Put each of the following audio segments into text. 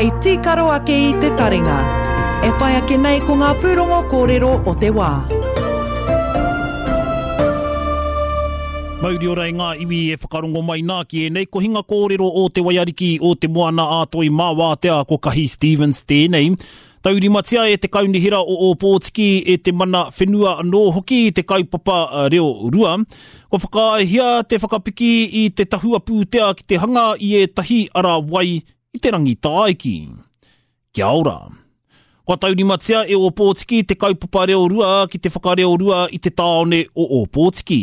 hei tīkaro ake i te taringa. E whai ake nei ko ngā pūrongo kōrero o te wā. Mauri ora e ngā iwi e whakarongo mai nā ki ēnei kohinga kōrero o Te Waiariki o Te Moana a Toi mā Wātea ko Kahi Stevens tēnei. Taurimatia e te Kaunihera o Ōpōtiki, e te mana whenua anō hoki te kaupapa reorua. Kua whakaaehia te whakapiki i te tahua pūtea ki te hanga i ētahi ara wai i te Rangitāiki. Kia ora. Kua taurimatia e Ōpōtiki te kaupapa reorua ki te whakareorua i te tāone o Ōpōtiki.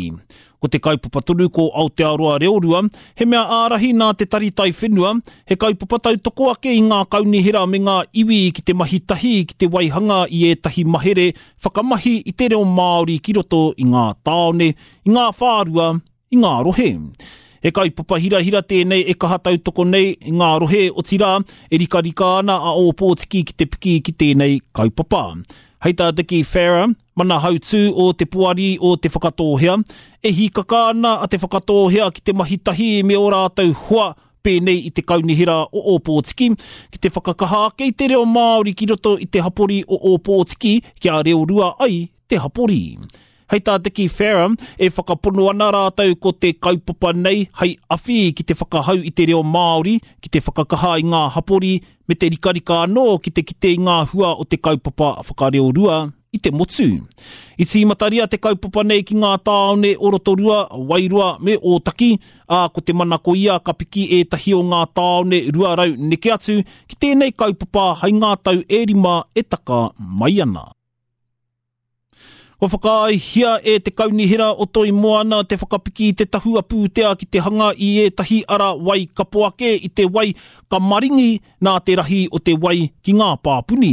Ko te kaupapa tonu ko Aotearoa Reorua, he mea ārahi nā te Tari Taiwhenua, he kaupapa tautoko ake i ngā kaunihera me ngā iwi ki te mahi tahi ki te waihanga i ētahi mahere whakamahi i te reo Māori ki roto i ngā tāone, i ngā whārua, i ngā rohe. He kaupapa hirahira tēnei e kaha tautoko nei i ngā rohe, otirā, e rikarika ana a Ōpōtiki ki te piki ki tēnei kaupapa. Hei tā Dickie Farrer, Mana hautū o Te Poari o Te Whakatōhea, e hīkaka ana a Te Whakatōhea ki te mahi tahi me ō rātou hoa pēnei i te Kaunihera o Ōpōtiki, ki te whakakaha ake i te reo Māori ki roto i te hapori o Ōpōtiki kia reorua ai te hapori. Hei tā Dickie Farrer, e whakapono ana rātou ko te kaupapa nei hei awhi ki te whakahau i te reo Māori, ki te whakakaha i ngā hapori, me te rikarika anō ki te kite i ngā hua o te kaupapa whakareorua i te motu. I tīmataria te kaupapa nei ki ngā tāone o Rotorua, Wairoa me Ōtaki, ā, ko te manako ia ka piki ētahi o ngā tāone 200 neke atu ki tēnei kaupapa hai ngā tau e rima e taka mai ana. Kua whakaaehia e te Kaunihera o Toi Moana te whakapiki i te tahua pūtea ki te hanga i ētahi ara wai kapo ake i te wai ka maringi nā te rahi o te wai ki ngā pāpuni.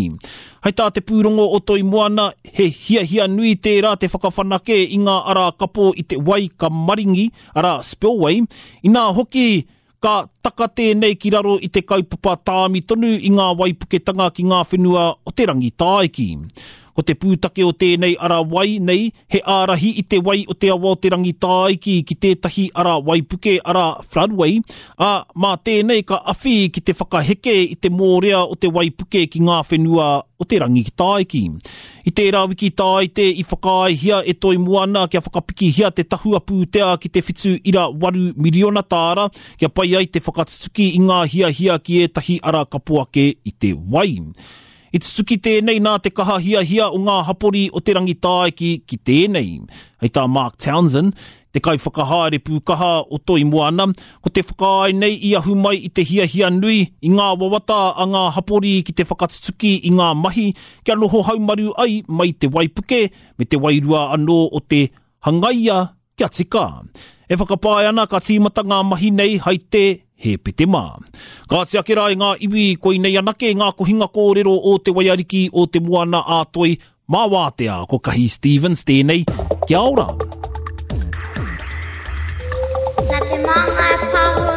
Hei tā te pūrongo o Toi Moana, he hiahia nui tērā te whakawhanake i ngā ara kapo i te wai ka maringi, arā, spillway, inā hoki Ka taka tēnei ki raro i te kaupapa tāmi tonu i ngā waipuketanga ki ngā whenua o te Rangitāiki. Ko te pūtake o tēnei ara wai nei he ārahi i te wai o te awa o te Rangitāiki ki tētahi ara waipuke, arā, floodway, ā, mā tēnei ka awhi ki te whakaheke i te mōrea o te waipuke ki ngā whenua o te Rangitāiki. I tērā wiki tāite i whakaaehia e Toi Moana kia whakapikihia te tahua pūtea ki te 7.8 miriona tāra kia pai ai te whakatutuki i ngā hiahia ki ētahi ara kapo ake i te wai. I tutuki tēnei nā te kaha hiahia o ngā hapori o Te Rangitāiki ki tēnei. Hei tā Mark Townsend, te kaiwhakahaere pūkaha o Toi Moana, ko te whakaae nei i ahu mai i te hiahia nui, i ngā wawata a ngā hapori ki te whakatutuki i ngā mahi kia noho haumaru ai mai te waipuke me te wairua anō o te hangaia kia tika. E whakapae ana ka tīmata ngā mahi nei hai te Hēpetemā. Kāti ake rā e ngā iwi, koinei anake ngā kohinga kōrero o Te Waiariki o Te Moana a Toi Mā Wātea, ko Kahi Stevens tēnei. Kia ora! Nā Te Māngai Pāho.